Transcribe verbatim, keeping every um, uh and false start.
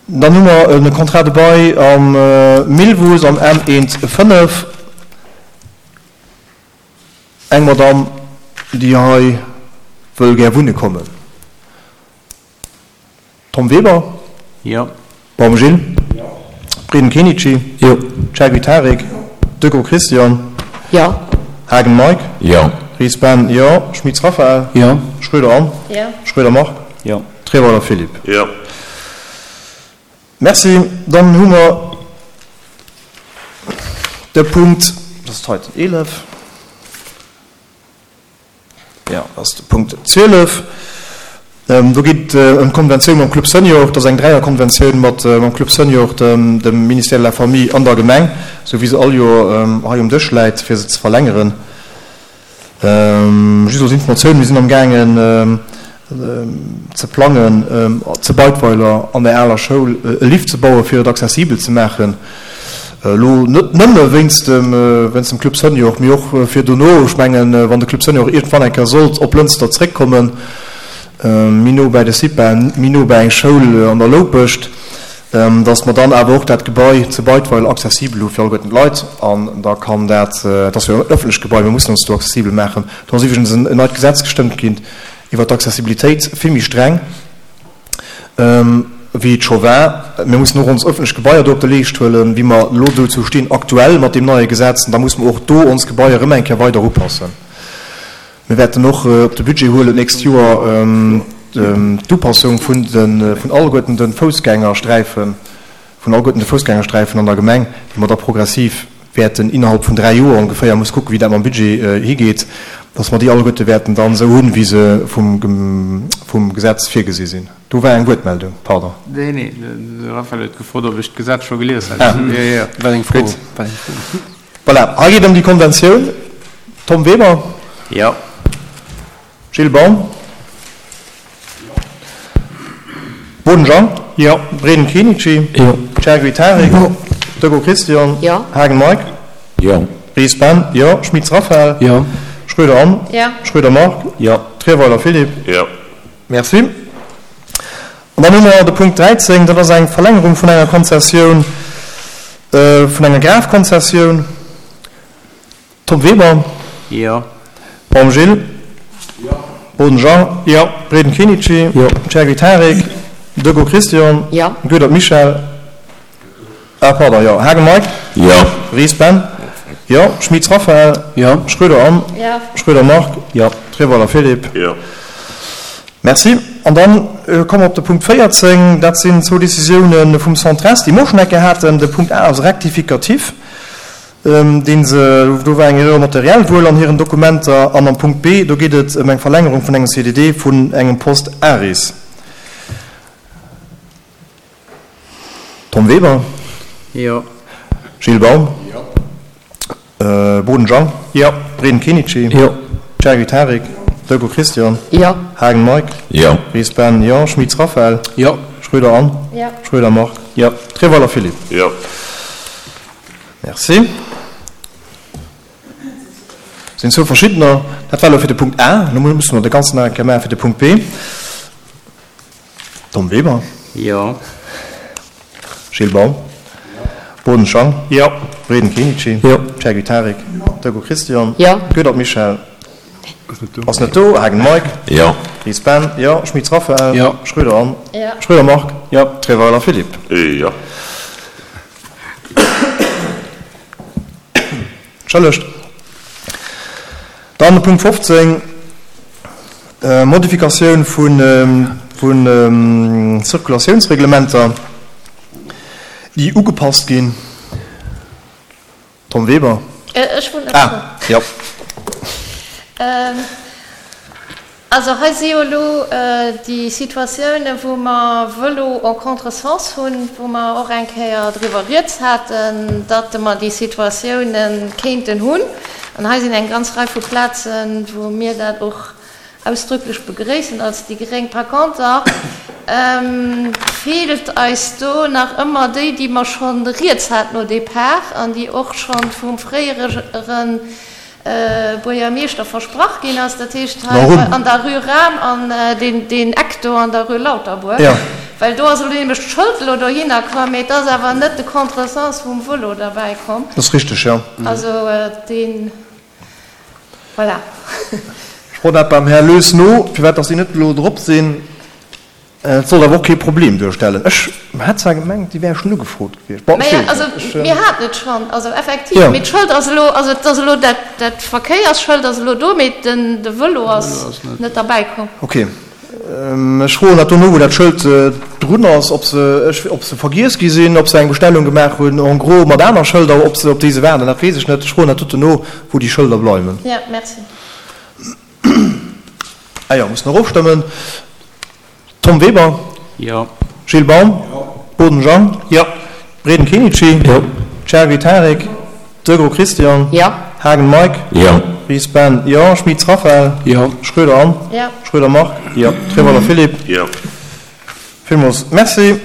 Dann hu mer e Contrat de bail am Millwuess am M eent fënnef. Eng Madamm, déi hei wëll gär wunne kommen. Tom Weber? Jo. Baum Gilles? Breden Kenichi? Jo. Chergui Tarik? Decaux Christian? Jo. Haagen Mike? Jo. Ries Ben? Jo. Schmitz Raphaël? Jo. Schroeder Anne? Jo. Schroeder Marc? Jo. Treweiler Philippe? Jo. Merci. Dann hu mer de Punkt, dat ass d'heiten eelef, jo, dat ass de Punkt zwielef. Do geet et ëm d'Konventioun mam Club Senior. Dat ass eng Dräierkonventioun mat mam Club Senior, dem dem Ministère de la Famille an der Gemeng, esou wéi se all Joer hei um Dësch läit, fir se ze verlängeren. Just als Informatioun, Mir sinn amgaangen ze plangen, zu Beidweiler an der aler Schoul e Lift ze bauen, fir et accessibel ze maachen. Elo net nëmme wéinst dem, wéinst dem Club Senior, mee och fir dono. Ech mengen, wann de Club Senior iergendwann eng Kéier sollt op Lënster zréckkommen, méi no bäi de CIPA, méi no bäi eng Schoul an der Loupescht, dass mer dann awer och dat Gebai zu Beidweiler accessibel hu fir alleguerten d'Leit. An da kann dat, et ass jo en öffentlecht Gebai, mir mussen ons do accessibel maachen. Do ass iwwregens en neit Gesetz gestëmmt ginn iwwert d'Accessibilitéit, vill méi streng wéi et scho war. Mir mussen och ons öffentlech Gebaier do op de Leescht huelen, wéi mer elo dozou stinn aktuell mat deem neie Gesetz. An da musse mer och do ons Gebaier erëm eng Kéier weider upassen. Mir wäerten och op de Budget huelen d'nächst Joer d'Upassung vun de vun alleguerten de Foussgängersträifen, vun alleguerten de Foussgängersträifen an der Gemeng, déi mer da progressiv wäerten innerhalb vun dräi Joer ongeféier, muss kucken, wéi dat mam Budget higeet, dass mer déi alleguerte wäerten dann esou hunn, wéi se vum vum Gesetz virgesi sinn. Do war eng Wuertmeldung, pardon. Nee, nee, de Raphaël huet gefrot, ob ech d'Gesetz scho gelies hätt. Ah, Jo, jo, war eng Fro. Gutt. War eng Fro. Voilà, hei geet ëm déi Konventioun. Tom Weber. Jo. Gilles Baum. Boden Jean. Jo. Breden Kenichi. Jo. Chergui Tarik. Jo. Decaux Christian. Jo. Haagen Mike. Jo. Ries Ben. Jo. Schmitz Raphaël. Jo. Schroeder Anne. Jo. Schroeder Marc. Jo. Trierweiler Philippe. Jo. Merci. An dann hu mer de Punkt dräizéng, dat ass eng Verlängerung vun enger Konzessioun, vun enger Grafkonzessioun. Tom Weber. Jo. Baum Gilles. Jo. Boden Jean. Jo. Breden Kenichi. Jo. Chergui Tarik. Decaux Christian. Jo. Goedert Michel. Ah, pardon, jo. Haagen Mike. Jo. Ries Ben. Jo. Schmitz Raphaël. Jo. Schroeder Anne. Jo. Schroeder Marc. Jo. Treweiler Philippe. Jo. Merci. An dann komme mer op de Punkt véierzéng. Dat sinn zwou Décisiounen vum Centres, déi mer och schonn eng Kéier haten. De Punkt A ass rectificatif, dee se, do war eng Erreur notarielle wuel an hiren Dokumenter. An am Punkt B, do geet et ëm eng Verlängerung vun engem C D D vun engem Poste ARIS. Tom Weber. Jo. Gilles Baum. Jo. Boden Jean. Jo. Breden Kenichi. Jo. Chergui Tarik. Decaux Christian. Jo. Haagen Mike. Jo. Ries Ben. Jo. Schmitz Raphaël. Jo. Schroeder Anne. Jo. Schroeder Marc. Jo. Treweiler Philippe. Jo. Merci. Sinn zwou verschiddener. Dat war elo fir de Punkt A. Elo musse mer de ganzen nach eng Kéier maache fir de Punkt B. Tom Weber. Jo. Gilles Baum. Boden Jean. Jo. Breden Kenichi. Jo. Chergui Tarik. Decaux Christian. Jo. Goedert Michel. Ass net do. Haagen Mike. Jo. Ries Ben. Jo. Schmitz Raphaël. Jo. Schroeder Anne. Jo. Schroeder Marc. Jo. Treweiler Philippe. Jo. Entschëllegt. Dann de Punkt fofzéng, Modifikatioun vu Zirkulatiounsreglementer, déi ugepasst ginn. Tom Weber. Ech wollt nach Ah, jo. Also hei si jo elo déi Situatiounen, wou mer Vëlo en contresens hunn, wou mer och eng Kéier driwwer rieds haten, datt mer déi Situatiounen kéinten hunn. An hei sinn eng ganz Rei vu Plazen, wou mir dat och ausdrücklech begréissen als déi Gréng. Par contre feelt eis do nach ëmmer déi, déi mer schonn rieds haten au départ an déi och schonn vum fréiere Buergermeeschter versprach ginn ass, dat heescht hei an der Rue Rahm an deen Eck do an der Rue Lauterbourg, Well do ass elo nämlech d'Schëld elo dohinner komm, mee et ass awer net de Contresens vum Vëlo derbäi komm. Dat ass richteg, jo. Also deen, voilà. Ech froen dat beim Här Loes no, firwat dass déi net elo drop sinn. Et sollt awer och kee Problem duerstellen. Ech hat zwar gemengt, déi wäre schonn ugefrot gewiescht. Bon, ech Maja, weess also et net. Ech. mir haten et schonn, also effektiv, Jo. mee d'Schëld ass elo, also et ass elo dat, dat Verkéiersschëld ass elo do, mee den, de Vëlo De Vëlo ass ass net. net derbäi komm. Ok. Ech froen dat dono, wou dat Schëld drun ass, ob se, ech, ob se vergiess gi sinn, ob se eng Bestellung gemaach hunn en gros mat aner Schëlder, ob se op déi se waarden, dat weess ech net. Ech froen dat doten no, wou déi Schëlder bleiwen. Jo, merci. Ah jo, mussen och ofstëmmen. Tom Weber. Jo. Gilles Baum. Boden Jean. Jo. Breden Kenichi. Jo. Chergui Tarik. Degraux Christian. Jo. Haagen Mike. Jo. Ries Ben. Jo. Schmitz Raphaël. Jo. Schroeder Anne. Jo. Schroeder Marc. Jo. Treweiler Philippe. Jo. Villmools Merci.